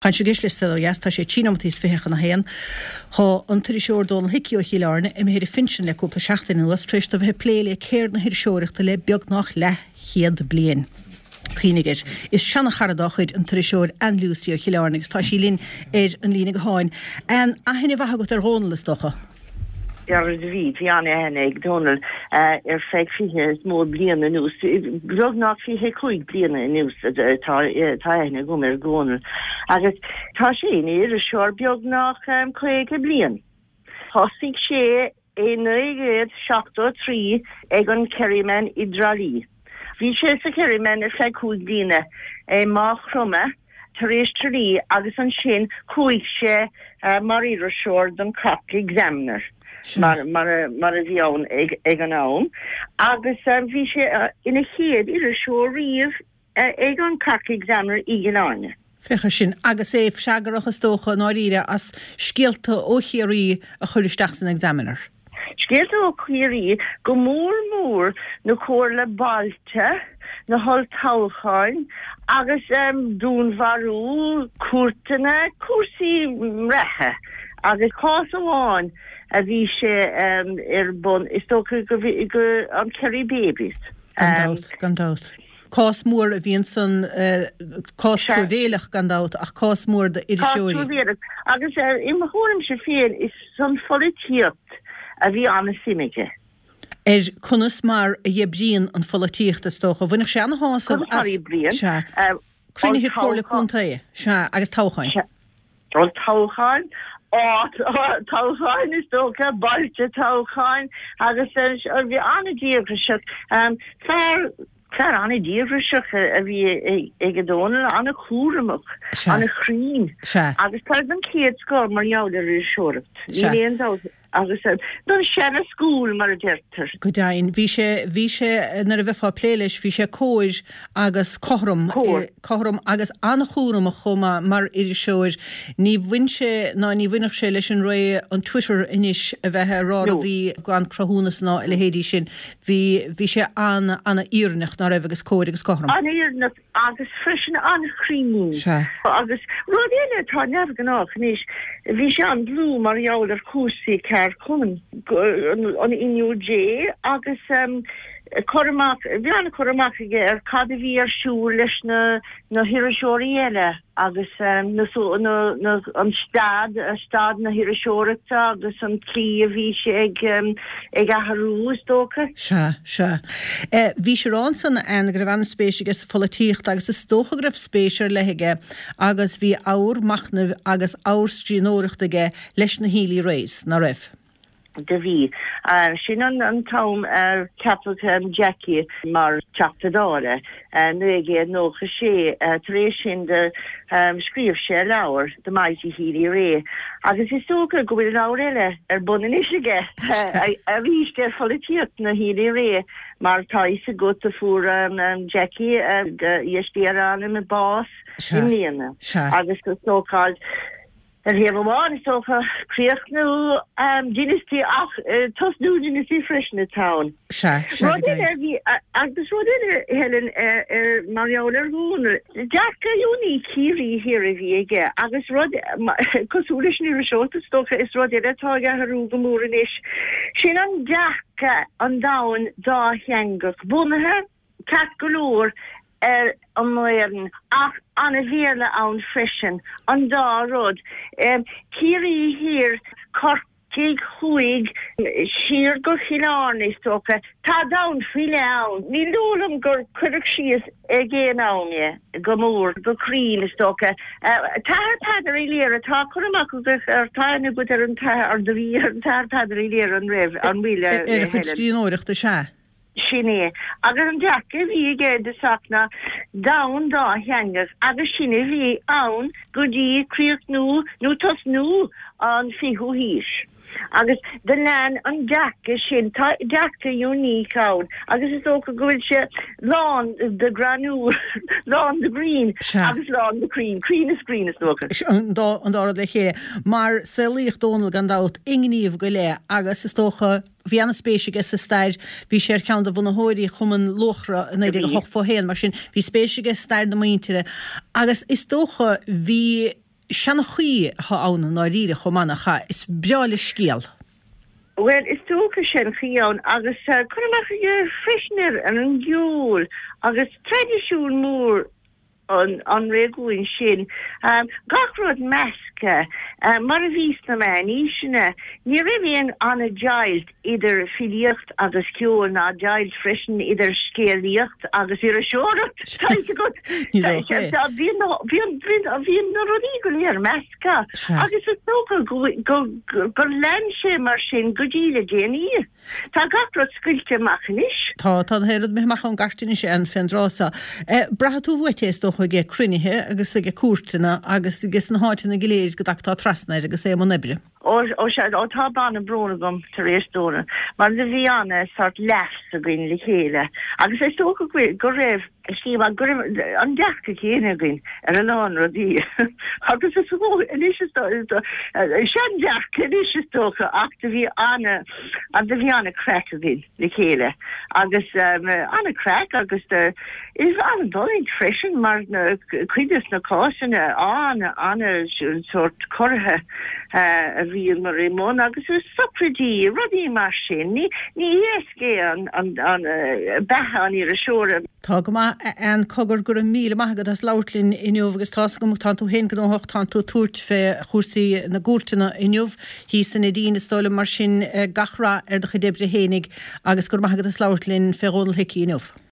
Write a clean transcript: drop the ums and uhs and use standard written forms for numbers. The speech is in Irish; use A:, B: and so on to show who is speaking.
A: Tá sibh ag éisteacht le Saol Ó Dheas, tá sé 23 nóimeataí chun a haon. Tá an t-iriseoir Dónal Hickey ó Chill Airne imithe ar a phinsean le cúpla seachtain anuas tar éis dó bheith ag plé le ceird na hiriseoireachta le beagnach leathchéad bliain. Cuimhnigh air. Is seana-chara dá chuid an t-iriseoir Ann Lucey ó Chill Airne agus tá sí linn ar an líne gutháin. Ann, aithne mhaith agat ar Dhónal, is dócha?
B: Ar bhí, bhí an-aithne ag Dónal ar feadh 20 is mór bliain anuas, beagnach 25 bliana anuas tá aithne agam ar Dhónal agus tá sé ina iriseoir beagnach 50 bliain. Thosaigh sé i 1973 ag an Kerryman i dTrá Lí. Bhí sé sa Kerryman ar feadh 5 bliana i Maigh Chromtha tar éis Tralee agus ansin chuaigh sé mar iriseoir don Cork Examiner mar mar a bhí ann ag an am agus bhí sé ina chéad iriseoir riamh ag an Cork Examiner i gCill Airne.
A: Féach ar sin. Agus é freagrach, is dócha, i ndáiríre, as scéalta ó Chiarraí a chur isteach san Examiner.
B: Scéalta ó Chiarraí, go mór mór na comhairle bailte, na holltoghcháin agus dúnmharú, cúirteanna, cúrsaí reatha agus cás amháin a bhí sé ar bun, is dócha go, an Kerry Babies.
A: Gan dabht, gan dabht. Cás mór a bhí ansan, cás truamhéileach gan dabht, ach cás mór
B: d'iriseoirí. Cás truamhéileach. Agus i mo thuairimse féin, is san pholaitíocht a bhí an-suim aige.
A: Ar conas mar a oibríonn an pholaitíocht, is dócha. Bhainfeadh sé an-shásamh as.
B: Conas mar a oibríonn.
A: Sea. Cruinnithe Comhairle Contae. Sea, agus toghcháin.
B: Sea. Olltoghcháin, toghcháin is dócha, bailte toghcháin agus bhí an-díograiseach, fear, fear an-díograiseach a bhí ag Dónal, an-chúramach, an-chruinn agus fear den chéad scoth mar gheall ar iriseoireacht, níl aon dabht. Agus den seana school, mar a deirtear.
A: Go deimhin. Bhí sé, bhí sé, nuair a bheifeá ag plé leis, bhí sé cóir agus cothrom.
B: Cóir.
A: Cothrom agus an-chúramach chomh maith mar iriseoir. Ní bhain sé ná ní bhainfeadh sé leis an ré an Twitter anois a bheith ag rá rudaí gan cruthúnas ná a leithéidí sin. Bhí, bhí sé an, an-fhírinneach, ná raibh, agus cóir agus cothrom.
B: An-fhírinneach. agus freisin an-chruinn.
A: Sea.
B: Agus rud eile atá neamhghnách anois, bhí sé an-dlúth mar gheall ar chúrsaí ceardchumainn, an NUJ agus cur amach, bhí an-chur amach aige ar cad a bhí ar siúl leis na na hiriseoirí eile agus na na an staid, staid na hiriseoireachta agus an tslí a bhí sé ag ag athrú is dócha.
A: Sea, sea. Bhís ag rá ansan, a Ann, go raibh an-spéis aige sa pholaitíocht agus is dócha go raibh spéis ar leith aige agus bhí abhar machnaimh agus abhar scríbhneoireachta aige leis na Healy-Raes, ná raibh?
B: Do bhí. Sin an t-am ar ceapadh Jackie mar Teachta Dála, 1996. Tar éis sin do scríobh sé leabhar, The Mighty Healy-Rae, agus is dócha go bhfuil leabhar eile ar bun anois aige, arís ar pholaitíocht na Healy-Rae, mar tá a fhios agat do fuair Jackie, dheis Dé ar a anam, bás i mbliana agus is dócha Ar thaobh amháin, is dócha, críochnú dynasty ach tosnú dynasty freisin atá ann.
A: Sea, sea, go
B: Rud eile a bhí, agus rud eile, Helen, ar, mar gheall ar Dhónal, dearcadh unique Chiarraí Thiar a bhí aige agus rud, cosúil leis an iriseoireacht, is dócha, is rud eile atá ag athrú go mór anois, sin an dearcadh an domhan dátheangach, bunaithe, ceart go leor ar an nGaelainn ach an-Bhéarla ann freisin, an dá rud. Ciarraí Thiar, Corcaigh Thuaidh, siar go Cill Airne is dócha. Tá domhan faoi leith ann. Ní dóigh liom gur cuireadh síos ag aon am é go mór, go cruinn is dócha. T-Athair Peadar Uí Laoire, tá cur amach agat ar, tá aithne agat ar an t-athair, do bhí ar an t-athair Peadar Uí Laoire an raibh, an bhfuil,
A: Ar a chuid
B: Helen?
A: scríbhneoireachta, sea.
B: Sin é. Agus an dearcadh a bhí aige i dtosach ná domhan dátheangach agus sin a bhí ann go dtí críochnú nó tosnú an fichiú haois. Agus do lean an dearcadh sin, tá dearcadh unique ann agus is dócha go bhfuil sé lán de greann, lán de ghreann agus lán de chruinn, cruinn is grinn is
A: dócha. An dá an dá rud le chéile. Mar saolaíodh Dónal gan dabht i ngníomh go leith agus is dócha, Bhí an-spéis aige sa stair, bhí sé ar cheann de bhunaitheoirí Chumann Luachra i 1981, mar sin bhí spéis aige i stair na muintire agus is dócha bhí. Seanchaí atá ann i ndáiríre chomh maith, nach ea? Is breá leis scéal.
B: Bhuel, is dócha seanchaí ann agus cur amach aige freisin ar an gceol agus traidisiún mór an réigiúin sin. Gach rud measctha, mar a bhí sna meánaoiseanna. Ní raibh aon an-deighilt idir filíocht agus ceol ná deighilt freisin idir scéalaíocht agus iriseoireacht. Tá a fhios agat.
A: Ní dócha é.
B: Bhí na rudaí go léir measctha agus is dócha gur lean sé mar sin go dtí le déanaí. Tá gach rud scoilte amach anois.
A: Tá, tá gach rud imithe amach ón gcairt anois ann fén dtráth so. Braithfidh tú uait é is dócha ag cruinnithe agus ag cuairteanna agus ag sna háiteanna go léir go dtagtá trasna air agus é i mbun oibre.
B: Ó, ó sea, ó tá banna brón agam tar éis Dónal, mar do bhí ana sort laughs againn le chéile agus is dócha go, go raibh, sílim go raibh an dearcadh céanna againn ar a lán rudaí agus is dócha anois is dócha, sean-dearcadh anois is dócha ach do bhí ana, do bhí ana craic againn le chéile agus ana craic agus do, is an-fhulaingt freisin mar cuid de na cásanna ana, ana sort corraithe. a bhíomar i mbun agus sochraidí, rudaí mar sin. Ní héasca é an beatha an iriseora.
A: Tá go maith, a Ann. Cogar, go raibh míle maith agat as labhairt linn inniu agus tá's agam tánn tú féin gnóthach, tánn tú ag tabhairt fé chúrsaí na gcúirteanna inniu thíos i Neidín is dóigh liom, mar sin gach rath ar do chuid oibre fhéinig agus go raibh maith agat as labhairt linn fé Dhónal Hickey inniu.